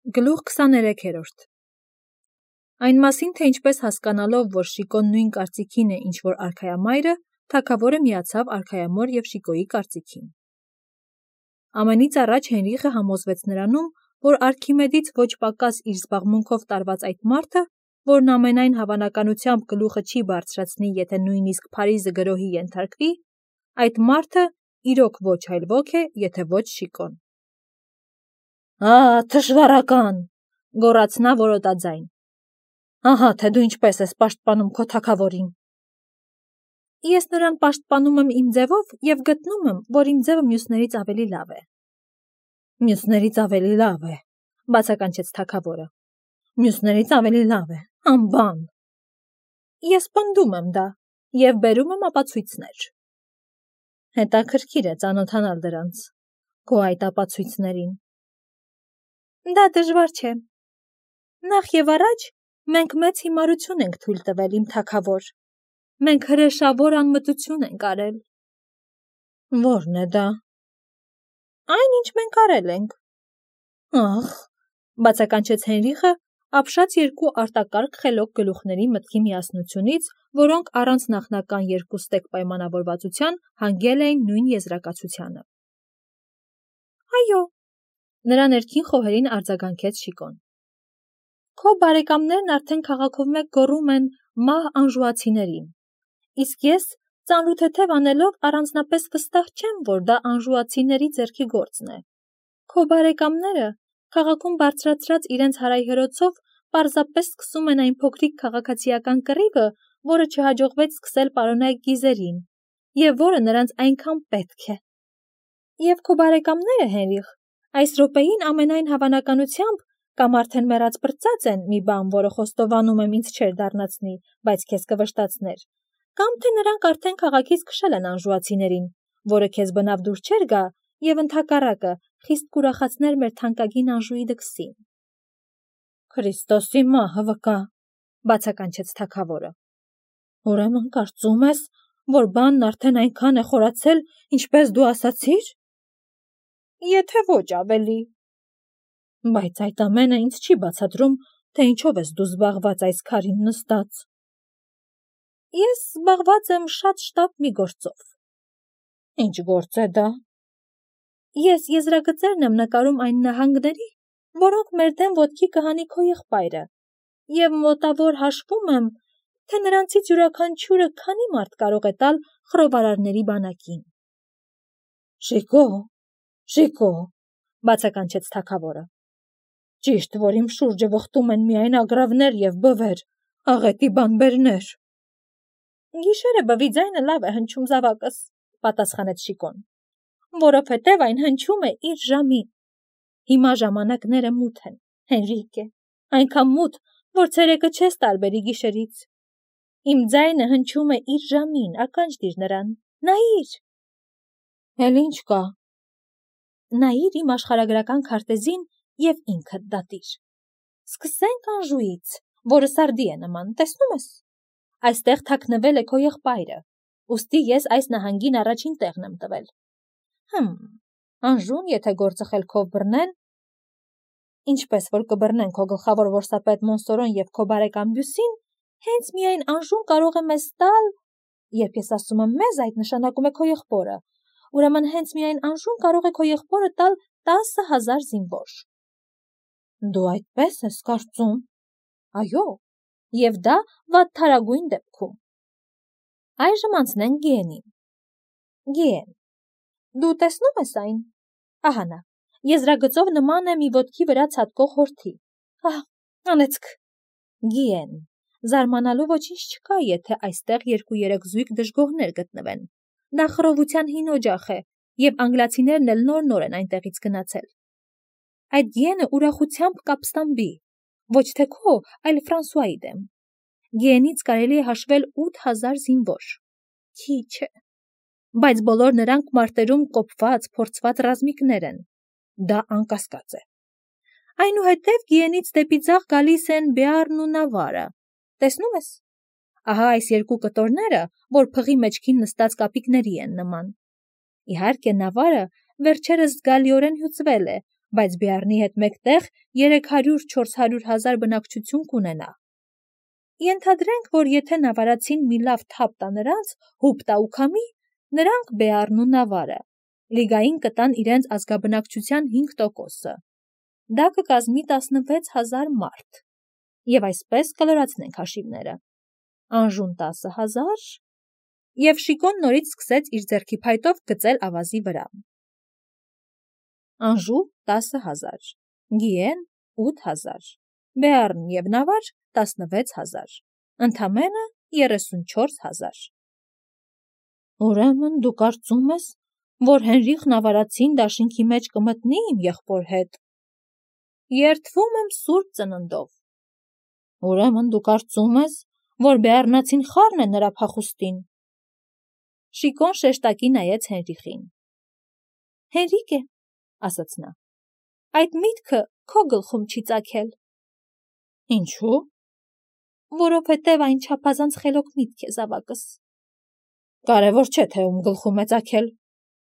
Գլուխ 23-րդ Այն մասին, թե ինչպես հասկանալով, որ Շիկոն նույն կարծիքին է, ինչ որ արքայամայրը, թագավորը միացավ արքայամոր և Շիկոյի կարծիքին։ Ամենից առաջ Հենրիխը համոզվեց նրանում, որ Արքիմեդից ոչ պակաս իր զբաղմունքով տարված այդ մարդը, որն ամենայն հավանականությամբ գլուխը չի բարձրացնի, եթե նույնիսկ Փարիզը գրոհի ենթարկվի, այդ մարդը իրոք ոչ այլ ոք է, եթե ոչ Շիկոն։ Թշվառական, գոռաց նա որոտաձայն։ Ահա թե դու ինչպես ես պաշտպանում քո թագավորին։ Ես նրան պաշտպանում եմ իմ ձևով և գտնում եմ, որ իմ ձևը մյուսներից ավելի լավ է։ Մյուսներից ավելի լավ է, բացականչեց թագավորը։ Մյուսներից ավելի լավ է, անբան։ Ես պնդում եմ դա և բերում եմ ապացույցներ։ Հետաքրքիր է ծանոթանալ դրանց, քո այդ ապացույցներին։ Դա դժվար չէ։ Նախ և առաջ մենք մեծ հիմարություն ենք թույլ տվել, իմ թագավոր։ Մենք հրեշավոր անմտություն ենք արել։ Ո՞րն է դա։ Այն, ինչ մենք արել ենք։ Ախ, բացականչեց Հենրիխը, ապշած երկու արտակարգ խելոք գլուխների մտքի միասնությունից, որոնք առանց նախնական երկու ստեկ պայմանավորվածության հանգել էին նույն եզրակացությանը։ Այո, նրա ներքին խոհերին արձագանքեց Շիկոն։ Քո բարեկամներն արդեն քաղաքով մեկ գոռում են մահ անժուացիներին, իսկ ես ծանրութեթև անելով առանձնապես վստահ չեմ, որ դա անժուացիների ձեռքի գործն է։ Քո բարեկամները քաղաքում բարձրացրած իրենց հարայհրոցով պարզապես սկսում են այն փոքրիկ քաղաքացիական կռիվը, որը չհաջողվեց սկսել պարոնայք Գիզերին, և որը նրանց այնքան պետք է։ Եվ քո բարեկամները, Հենրիխ, այս րոպեին ամենայն հավանականությամբ կամ արդեն մեռած պրծած են մի բան, որը խոստովանում եմ ինձ չէր դառնացնի, բայց քեզ կվշտացներ, կամ թե նրանք արդեն քաղաքից քշել են անժուացիներին, որը քեզ բնավ դուր չէր գա և ընդհակառակը խիստ կուրախացներ մեր թանկագին Անժուի դքսին։ Քրիստոսի մահը վկա, բացականչեց թագավորը։ Ուրեմն կարծում ես, որ բանն արդեն այնքան է խորացել, ինչպես դու ասացիր։ Եթե ոչ ավելի։ Բայց այդ ամենը ինձ չի բացատրում, թե ինչով ես դու զբաղված այս քարին նստած։ Ես զբաղված եմ շատ շտապ մի գործով։ Ինչ գործ է դա։ Ես եզրագծերն եմ նկարում այն նահանգների, որոնք մեր դեմ ոտքի կհանի քո եղբայրը, և մոտավոր հաշվում եմ, թե նրանցից յուրաքանչյուրը քանի մարդ կարող է տալ խռովարարների բանակին։ Շիկո, բացականչեց թագավորը։ Ճիշտ, որ իմ շուրջը վխտում են միայն ագռավներ և բվեր, աղետի բանբերներ։ Գիշերը բվի ձայնը լավ է հնչում զավակս, պատասխանեց Շիկոն, որովհետև այն հնչում է իր ժամին։ Հիմա ժամանակները մութ են, Հենրիկե, այնքան մութ, որ ցերեկը չես տարբերի գիշերից։ Իմ ձայնը հնչում է իր ժամին, ականջ դիր նրան, նայիր։ Էլ ինչ կա։ Նայիր իմ աշխարհագրական քարտեզին և ինքդ դատիր։ Սկսենք Անժուից, որը սարդի է նման, տեսնում ես։ Այստեղ թաքնվել է քո եղբայրը, ուստի ես այս նահանգին առաջին տեղն եմ տվել։ Անժուն, եթե գործը խելքով բռնեն, ինչպես որ կբռնեն քո գլխավոր որսապետ Մոնսորոն և քո բարեկամ Բյուսին, հենց միայն Անժուն կարող է մեզ տալ, երբ ես ասում եմ մեզ, այդ նշանակում է քո եղբորը, ուրեմն հենց միայն Անժուն կարող է քո եղբորը տալ 10,000 զինվոր։ Դու այդպես ես կարծում։ Այո, և դա վատթարագույն դեպքում։ Այժմ անցնենք Գիենին։ Գիեն, դու տեսնում ես այն։ Ահա նա, եզրագծով նման է մի ոտքի վրա ցատկող հորթի։ Անեցք։ Գիեն, զարմանալու ոչինչ չկա, եթե այստեղ 2-3 զույգ դժգոհներ գտնվեն։ Դա խռովության հին օջախ է, և անգլիացիներն էլ նոր են այնտեղից գնացել։ Այդ Գիենը ուրախությամբ կապստամբի, ոչ թե քո, այլ Ֆրանսուայի դեմ։ Գիենից կարելի է հաշվել 8,000 զինվոր։ Քիչ է։ Բայց բոլոր նրանք մարտերում կոփված, փորձված ռազմիկներ են։ Դա անկասկած է։ Այնուհետև Գիենից դեպի ձախ գալիս են Բեարն ու Նավարը։ Տեսնում ես։ Ահա այս երկու կտորները, որ փղի մեջքին նստած կապիկների են նման։ Իհարկե Նավարը վերջերս զգալիորեն հյուծվել է, բայց Բեառնի հետ մեկտեղ 300-400 հազար բնակչություն կունենա։ Ենթադրենք, որ եթե նավարացին մի լավ թափ տա նրանց, հուպ տա ու քամի, նրանք Բեառն ու նավարը լիգային կտան իրենց ազգաբնակչության 5%-ը։ Դա կկազմի 16,000 մարդ։ Եվ այսպես կլրացնենք հաշիվները։ Անժուն 10,000, և Շիկոն նորից սկսեց իր ձեռքի փայտով գծել ավազի վրա։ Անժու 10,000, Գիեն 8,000, Բեառն և նավար 16,000, ընդամենը 34,000։ Ուրեմն դու կարծում ես, որ Հենրիխ նավարացին դաշինքի մեջ կմտնի իմ եղբոր հետ։ Երդվում եմ սուրբ ծննդով։ Ուրեմն դու կարծում ես, որ Բեառնացին խառն է նրա փախուստին։ Շիկոն շեշտակի նայեց Հենրիխին։ Հենրիկ է, ասաց նա, այդ միտքը քո գլխում չի ծագել։ Ինչու՞։ Որովհետև այն չափազանց խելոք միտք է, զավակս։ Կարևոր չէ, թե ում գլխում է ծագել։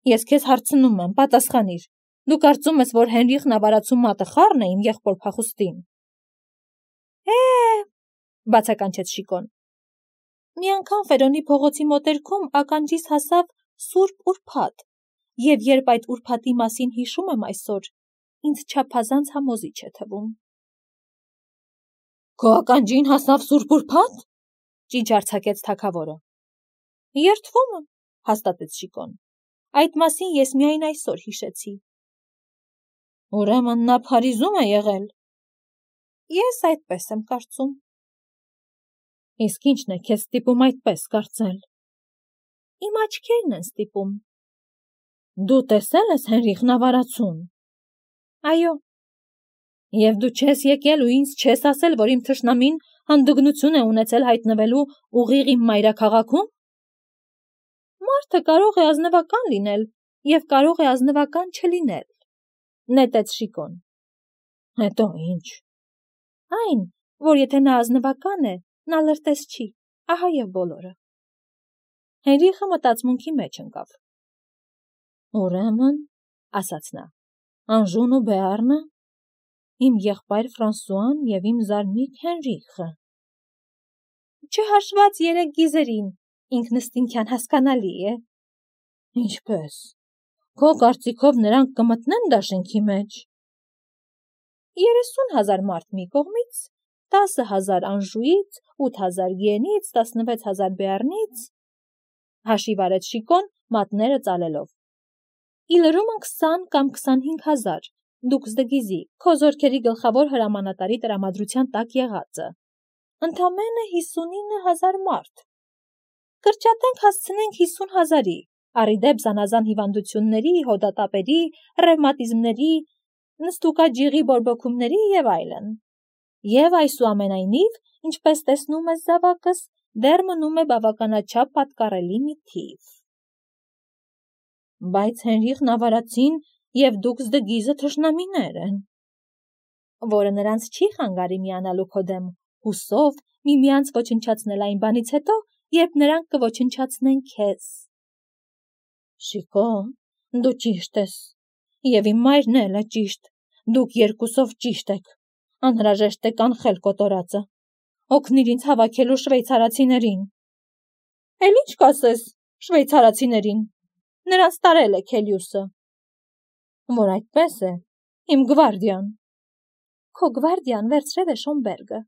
Ես քեզ հարցնում եմ, պատասխանիր։ Դու կարծում ես, որ Հենրիխ նավարացու մատը խառն է իմ եղբոր փախուստին։ Բացականչեց Շիկոն։ Մի անգամ Ֆերոնի փողոցի մոտերքում ականջիս հասավ Սուրբ Ուրբաթ, և երբ այդ ուրբաթի մասին հիշում եմ այսօր, ինձ չափազանց համոզիչ է թվում։ Քո ականջին հասավ Սուրբ Ուրբաթ, ճիչ արձակեց թագավորը։ Երդվում եմ, հաստատեց Շիկոն։ Այդ մասին ես միայն այսօր հիշեցի։ Ուրեմն նա Փարիզում է եղել։ Ես այդպես եմ կարծում։ Իսկ ի՞նչն է քեզ ստիպում այդպես կարծել։ Իմ աչքերն են ստիպում։ Դու տեսել ես Հենրիխ նավարացուն։ Այո։ Եվ դու չես եկել ու ինձ չես ասել, որ իմ թշնամին հանդգնություն է ունեցել հայտնվելու ուղիղ իմ մայրաքաղաքում։ Մարդը կարող է ազնվական լինել և կարող է ազնվական չլինել, նետեց Շիկոն։ Հետո ինչ։ Այն, որ եթե նա ազնվական է, նա լրտես չի, ահա և բոլորը։ Հենրիխը մտածմունքի մեջ ընկավ։ Ուրեմն, ասաց նա, Անժուն ու Բեառնը, իմ եղբայր Ֆրանսուան և իմ զարմիկ Հենրիխը։ Չհաշված 3 գիզերին, ինքնըստինքյան հասկանալի է։ Ինչպես։ Քո կարծիքով նրանք կմտնեն դաշինքի մեջ։ 30,000 մարդ մի կողմից, 10,000 Անժուից, 8,000 Գիենից, 16,000 Բեառնից, հաշիվ արեց Շիկոն, մատները ծալելով։ Իլրումն 20 կամ 25,000, դուքս դգիզի, քո զորքերի գլխավոր հրամանատարի տրամադրության տակ եղածը։ Ընդամենը 59,000 մարդ։ Կրճատենք հասցնենք 50,000-ի, առիդեպ զանազան հիվանդությունների, հոդատապերի, ռևմատիզմների, նստուկաջիղի բորբոքումների և այլն։ Եվ այսուամենայնիվ, ինչպես տեսնում ես, զավակս, դեռ մնում է բավականաչափ պատկառելի մի թիվ։ Բայց Հենրիխ նավարացին և դուքս դգիզը թշնամիներ են։ Որը նրանց չի խանգարի միանալու քո դեմ, հուսով միմյանց ոչնչացնել այն բանից հետո, երբ նրանք կոչնչացնեն քեզ։ Շիկո, դու ճիշտ ես, և իմ մայրն էլ է ճիշտ, դուք երկուսով ճիշտ եք, անհրաժեշտ է կանխել կոտորածը, օգնիր ինձ հավաքելու շվեյցարացիներին։ Էլ ինչ կասես շվեյցարացիներին, նրանց տարել է Քելիուսը։ Որ այդպես է, իմ գվարդիան։ Քո գվարդիան վերցրել է Շոմբերգը։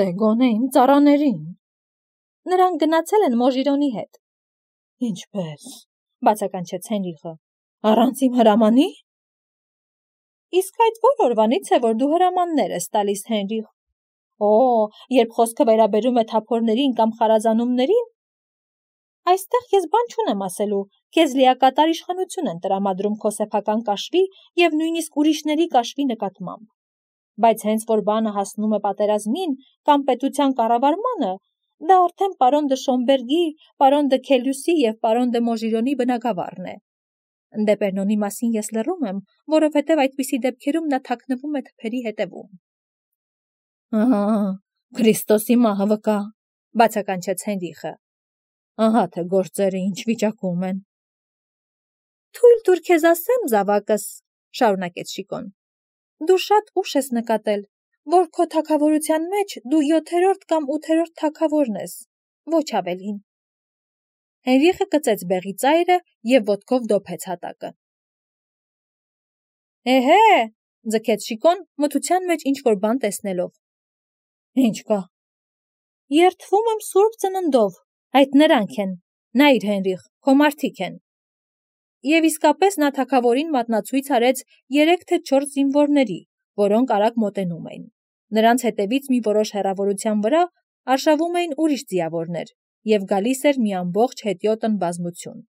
Դե գոնե իմ ծառաներին։ Նրանք գնացել են Մոժիրոնի հետ։ Ինչպես, բացականչեց Հենրիխը, առանց իմ հրամանի։ Իսկ այդ որ օրվանից է, որ դու հրամաններ ես տալիս, Հենրիխ։ Երբ խոսքը վերաբերում է թափորներին կամ խարազանումներին, այստեղ ես բան չունեմ ասելու, քեզ լիակատար իշխանություն են տրամադրում քո սեփական կաշվի և նույնիսկ ուրիշների կաշվի նկատմամբ։ Բայց հենց որ բանը հասնում է պատերազմին կամ պետության կառավարմանը, դա արդեն պարոն դը Շոմբերգի, պարոն դը Քելյուսի և պարոն դը Մոժիրոնի բնակավարն է։ Դեպերնոնի մասին ես լռում եմ, որովհետև այդպիսի դեպքերում նա թաքնվում է թփերի հետևում։ Քրիստոսի մահը վկա, բացականչեց Հենրիխը։ Ահա թե գործերը ինչ վիճակում են։ Թույլ տուր քեզ ասեմ, զավակս, շարունակեց Շիկոն։ Դու շատ ուշ ես նկատել, որ քո թագավորության մեջ դու 7-րդ կամ 8-րդ թագավորն ես, ոչ ավելին։ Հենրիխը կծեց բեղի ծայրը և ոտքով դոփեց հատակը։ Էհե, ձգեց Շիկոն, մթության մեջ ինչ-որ բան տեսնելով։ Ինչ կա։ Երդվում եմ սուրբ ծննդով, այդ նրանք են, նայիր Հենրիխ, քո մարդիկ են։ Եվ իսկապես նա թագավորին մատնացույց արեց 3 թե 4 զինվորների, որոնք արագ մոտենում էին։ Նրանց հետևից մի որոշ հեռավորության վրա արշավում էին ուրիշ ձիավորներ, և գալիս էր մի ամբողջ հետիոտն բազմություն։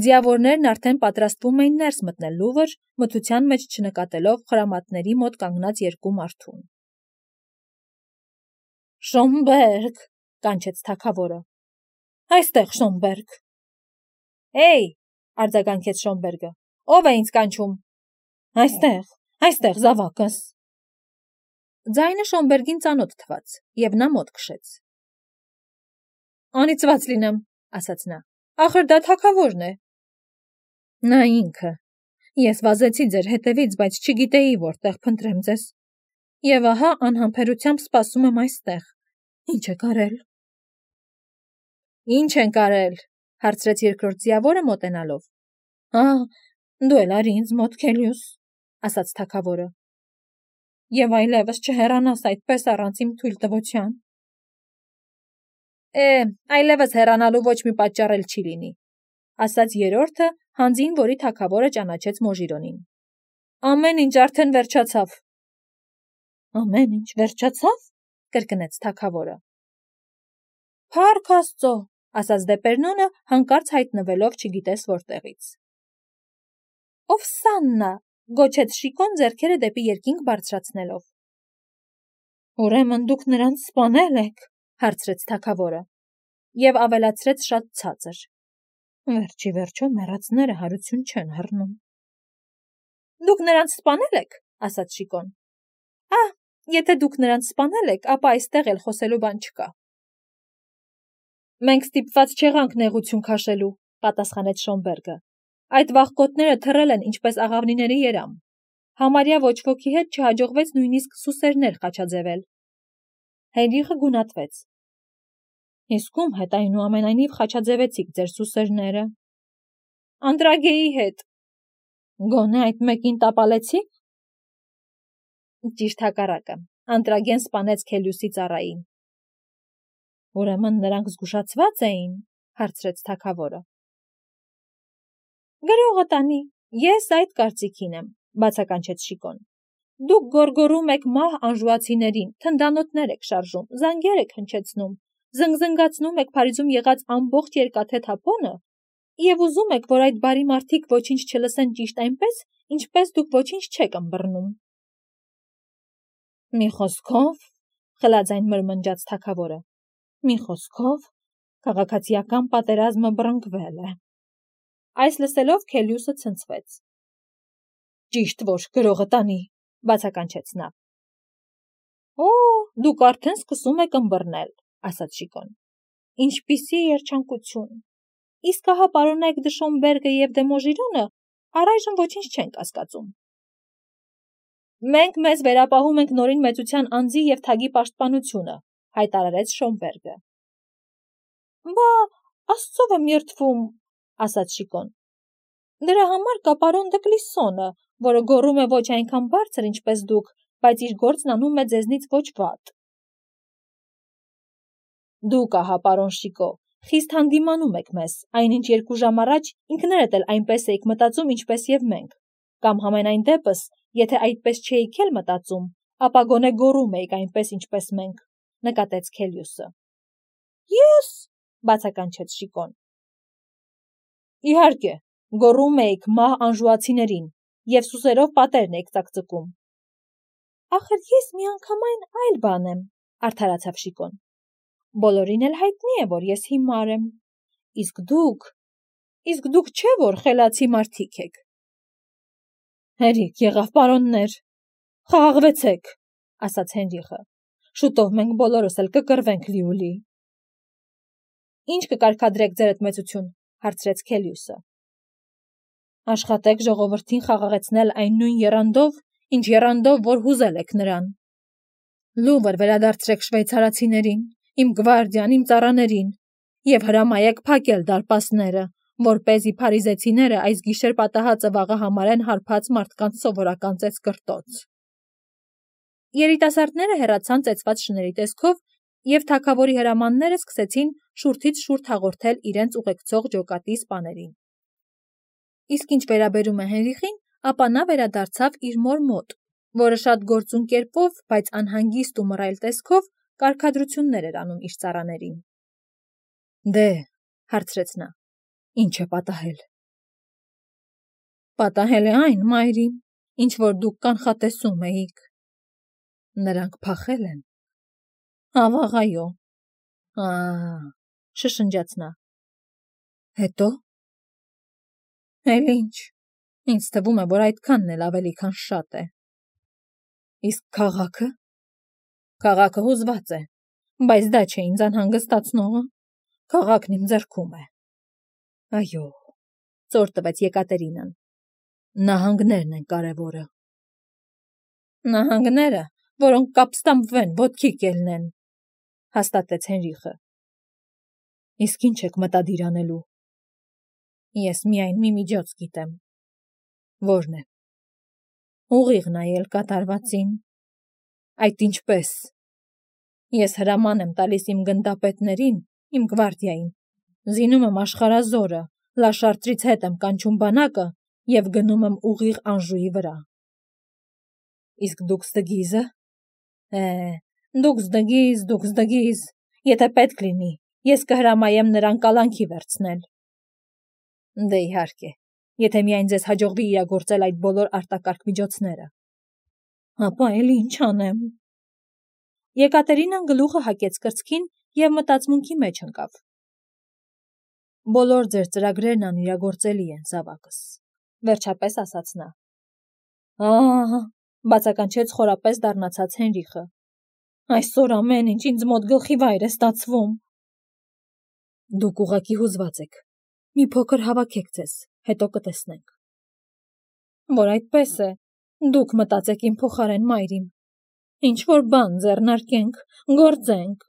Ձիավորներն արդեն պատրաստվում էին ներս մտնել Լուվր, մթության մեջ չնկատելով խրամատների մոտ կանգնած 2 մարդուն։ Շոմբերգ, կանչեց թագավորը։ Այստեղ Շոմբերգ։ Էй, արձագանքեց Շոմբերգը, ով է ինձ կանչում։ Այստեղ զավակս։ Ձայնը Շոմբերգին ծանոթ թվաց, և նա մոտ քշեց։ Անիծված լինեմ, ասաց նա, ախր դա թագավորն է։ Նա ինքը։ Ես վազեցի ձեր հետևից, բայց չգիտեի որտեղ փնտրեմ ձեզ։ Եվ ահա անհամբերությամբ սպասում եմ այստեղ։ Ինչ եք արել։ Ինչ ենք արել, հարցրեց երկրորդ ձիավորը մոտենալով։ Դու էլ արի ինձ մոտ, Քելիուս, ասաց թագավորը։ Եվ այլևս չհեռանաս այդպես առանց իմ թույլտվության։ Այլևս հեռանալու ոչ մի պատճառ էլ չի լինի, ասաց երրորդը, հանձին, որի թագավորը ճանաչեց Մոժիրոնին։ Ամեն ինչ արդեն վերջացավ։ Ամեն ինչ վերջացավ, կրկնեց թագավորը։ Փառք Աստծո, ասաց Դեպերնոնը, հանկարծ հայտնվելով չգիտես որտեղից։ Օվսաննա, գոչեց Շիկոն ձեռքերը դեպի երկինք բարձրացնելով։ Ուրեմն դուք նրանց սպանել եք, հարցրեց թագավորը, և ավելացրեց շատ ցածր։ Վերջի վերջո մեռածները հարություն չեն հռնում։ Դուք նրանց սպանել եք, ասաց Շիկոն։ Եթե դուք նրանց սպանել եք, ապա այստեղ էլ խոսելու բան չկա։ Մենք ստիպված չեղանք նեղություն քաշելու, պատասխանեց Շոմբերգը։ Այդ վախկոտները թռել են ինչպես աղավնիների երամ։ Համարյա ոչ ոքի հետ չհաջողվեց նույնիսկ սուսերներ խաչաձևել։ Հենրիխը գունատվեց։ Իսկ ում հետ այնուամենայնիվ խաչաձևեցիք ձեր սուսերները։ Անդրագեի հետ։ Գոնե այդ մեկին տապալեցիք։ Ճիշտ հակառակը, Անդրագեն սպանեց Քելիուսի ծառային։ Ուրեմն նրանք զգուշացված էին, հարցրեց թագավորը։ Գրողը տանի, ես այդ կարծիքին եմ, բացականչեց Շիկոն։ Դուք գոռգոռում եք մահ անժուացիներին, թնդանոթներ եք շարժում, զանգեր եք հնչեցնում, զնգզնգացնում եք Փարիզում եղած ամբողջ երկաթե թափոնը և ուզում եք, որ այդ բարի մարդիկ ոչինչ չլսեն ճիշտ այնպես, ինչպես դուք ոչինչ չեք ըմբռնում։ Մի խոսքով, խլաձայն մրմնջաց թագավորը, մի խոսքով, քաղաքացիական պատերազմը բռնկվել է։ Այս լսելով Քելիուսը ցնցվեց։ Ճիշտ որ գրողը տանի, բացականչեց նա։ Դուք արդեն սկսում եք ըմբռնել, ասաց Շիկոն։ Ինչպիսի երջանկություն։ Իսկ ահա պարոնայք դե Շոմբերգը և դե Մոժիրոնը առայժմ ոչինչ չեն կասկածում։ Մենք մեզ վերապահում ենք նորին մեծության անձի և թագի պաշտպանությունը, հայտարարեց Շոմբերգը։ Բա, Աստծով եմ երդվում, ասաց Շիկոն։ Դրա համար կա պարոն դե Կլիսոնը, որը գոռում է ոչ այնքան բարձր, ինչպես դուք, բայց իր գործն անում է ձեզնից ոչ վատ։ Դուք ահա, պարոն Շիկո, խիստ հանդիմանում եք մեզ, այնինչ 2 ժամ առաջ ինքներդ էլ այնպես էիք մտածում, ինչպես և մենք, կամ համենայն դեպս, եթե այդպես չէիք էլ մտածում, ապա գոնե գոռում էիք այնպես, ինչպես մենք, նկատեց Քելիուսը։ Ես, բացականչեց Շիկոն։ Իհարկե, գոռում էիք մահ անժուացիներին և սուսերով պատերն էիք ծակծկում։ Ախր ես միանգամայն այլ բան եմ, արդարացավ Շիկոն։ Բոլորին էլ հայտնի է, որ ես հիմար եմ։ Իսկ դուք չէ, որ խելացի մարդիկ եք։ Հերիք եղավ, պարոններ, խաղաղվեցեք, ասաց Հենրիխը։ Շուտով մենք բոլորս էլ կկռվենք լիուլի։ Ինչ կկարգադրեք ձերդ մեծություն, հարցրեց Քելիուսը։ Աշխատեք ժողովրդին խաղաղեցնել այն նույն եռանդով, ինչ եռանդով, որ հուզել եք նրան։ Լուվր վերադարձրեք շվեյցարացիներին, իմ գվարդիան, իմ ծառաներին, եւ հրամայեք փակել դարպասները, որպեսզի փարիզեցիները այս գիշեր պատահածը վաղը համարեն հարբած մարդկանց սովորական ծեծկրտոց։ Երիտասարդները հեռացան ծեծված շների տեսքով, եւ թագավորի հրամանները սկսեցին շուրթից շուրթ հաղորդել իրենց ուղեկցող ջոկատի սպաներին։ Իսկ ինչ վերաբերում է Հենրիխին, ապա նա վերադարձավ իր մոր մոտ, որը շատ գործուն կերպով, բայց անհանգիստ ու մռայլ տեսքով կարգադրություններ էր անում իր ծառաներին։ Դե, հարցրեց նա, ինչ է պատահել։ Պատահել է այն, մայրին, ինչ որ դուք կանխատեսում էիք։ Նրանք փախել են։ Ավաղ, այո։ Շշնջաց նա։ Հետո։ Էլ ինչ, ինձ թվում է, որ այդքանն էլ ավելի քան շատ է։ Իսկ քաղաքը։ Քաղաքը հուզված է, բայց դա չէ ինձ անհանգստացնողը։ Քաղաքն իմ ձեռքում է։ Այո, ծոր տվեց Եկատերինան։ Նահանգներն են կարևորը։ Նահանգները, որոնք կապստամբվեն, ոտքի կելնեն, հաստատեց Հենրիխը։ Իսկ ինչ եք մտադիր անելու։ Ես միայն մի միջոց գիտեմ։ Որն է։ Ուղիղ նայել կատարվածին։ Այդ ինչպես։ Ես հրաման եմ տալիս իմ գնդապետներին, իմ գվարդիային, զինում եմ աշխարհազորը, Լաշարտրից հետ եմ կանչում բանակը եւ գնում եմ ուղիղ Անժուի վրա։ Իսկ դուք ստգիզը։ Դուքս դգիզ, եթե պետք լինի, ես կհրամայեմ նրան կալանքի վերցնել։ Դե իհարկե, եթե միայն ձեզ հաջողվի իրագործել այդ բոլոր արտակարգ միջոցները։ Ապա էլի ինչ անեմ։ Եկատերինան գլուխը հակեց կրծքին եւ մտածմունքի մեջ ընկավ։ Բոլոր ձեր ծրագրերն անիրագործելի են, զավակս, վերջապես ասաց նա։ Բացականչեց խորապես դառնացած Հենրիխը։ Այսօր ամեն ինչ ինձ մոտ գլխի վայր է ստացվում։ Դուք ուղղակի հուզված եք։ Մի փոքր հավաքեք ձեզ, հետո կտեսնենք։ Որ այդպես է, դուք մտածեք իմ փոխարեն, մայրին։ Ինչ որ բան ձեռնարկենք, գործենք։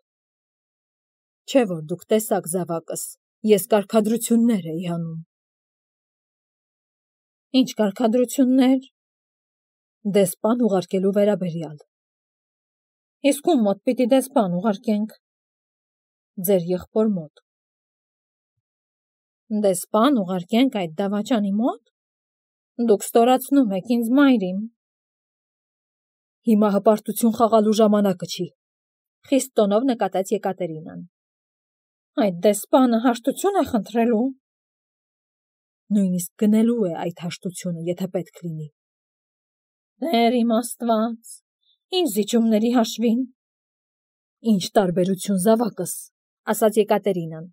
Չէ որ դուք տեսաք, զավակս, ես կարգադրություններ էի անում։ Ինչ կարգադրություններ։ Դեսպան ուղարկելու վերաբերյալ։ Իսկ ում մոտ պիտի դեսպան ուղարկենք։ Ձեր եղբոր մոտ։ Դեսպան ուղարկենք այդ դավաճանի մոտ։ Դուք ստորացնում եք ինձ, մայրին։ Հիմա հպարտություն խաղալու ժամանակը չի, խիստ տոնով նկատեց Եկատերինան։ Այդ դեսպանը հաշտություն է խնդրելու։ Նույնիսկ գնելու է այդ հաշտությունը, եթե պետք լինի։ Տեր իմ Աստված, ինչ զիջումների հաշվին։ Ինչ տարբերություն, զավակս, ասաց Եկատերինան։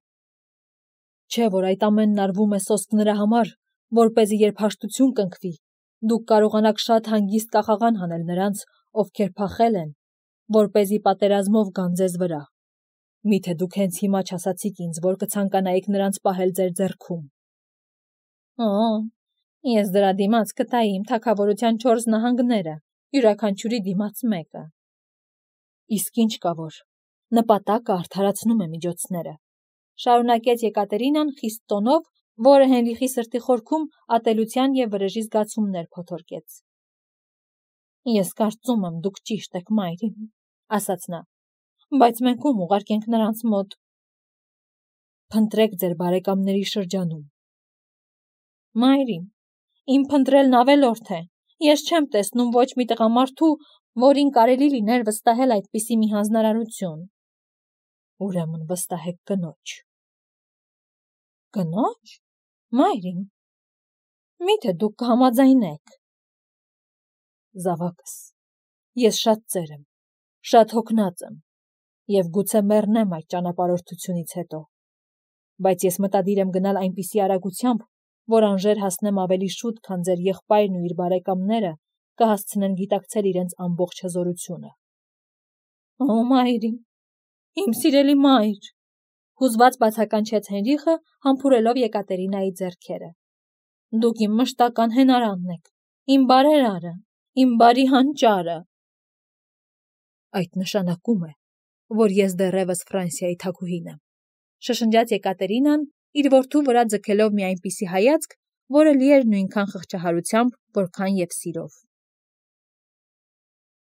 Չէ որ այդ ամենն արվում է սոսկ նրա համար, որպեսզի երբ հաշտություն կնքվի, դուք կարողանաք շատ հանգիստ կախաղան հանել նրանց, ովքեր փախել են, որպեսզի պատերազմով գան ձեզ վրա։ Միթե դուք հենց հիմա չասացիք ինձ, որ կցանկանայիք նրանց պահել ձեր ձեռքում։ Ես դրա դիմաց կտայի իմ թագավորության 4 նահանգները, յուրաքանչյուրի դիմաց մեկը։ Իսկ ինչ կա որ, նպատակը արդարացնում է միջոցները, շարունակեց Եկատերինան խիստ տոնով, որը Հենրիխի սրտի խորքում ատելության եւ վրեժի զգացումներ փոթորկեց։ Ես կարծում եմ, դուք ճիշտ եք, մայրին, ասաց նա, բայց մենք ում ուղարկենք նրանց մոտ։ Փնտրեք ձեր բարեկամների շրջանում։ Մայրին, իմ փնտրելն ավելորդ է։ Ես չեմ տեսնում ոչ մի տղամարդու, որին կարելի լիներ վստահել այդպիսի մի հանձնարարություն։ Ուրեմն վստահեք կնոջ։ Կնոջ։ Մայրին, միթե դուք կհամաձայնեք։ Զավակս, ես շատ ծեր եմ, շատ հոգնած եմ, եւ գուցե մեռնեմ այդ ճանապարհորդությունից հետո, բայց ես մտադիր եմ գնալ այնպիսի արագությամբ, որ անժեր հասնեմ ավելի շուտ, քան ձեր եղբայրն ու իր բարեկամները կհասցնեն գիտակցել իրենց ամբողջ հզորությունը։ Մայրին, իմ սիրելի մայր, հուզված բացականչեց Հենրիխը, համբուրելով Եկատերինայի ձեռքերը։ Դուք իմ մշտական հենարանն եք, իմ բարերարը, իմ բարի հանճարը։ Այդ նշանակում է, որ ես դեռևս Ֆրանսիայի թագուհին եմ, շշնջաց Եկատերինան, իր որդու վրա ձգելով մի այնպիսի հայացք, որը լի էր նույնքան խղճահարությամբ, որքան և սիրով։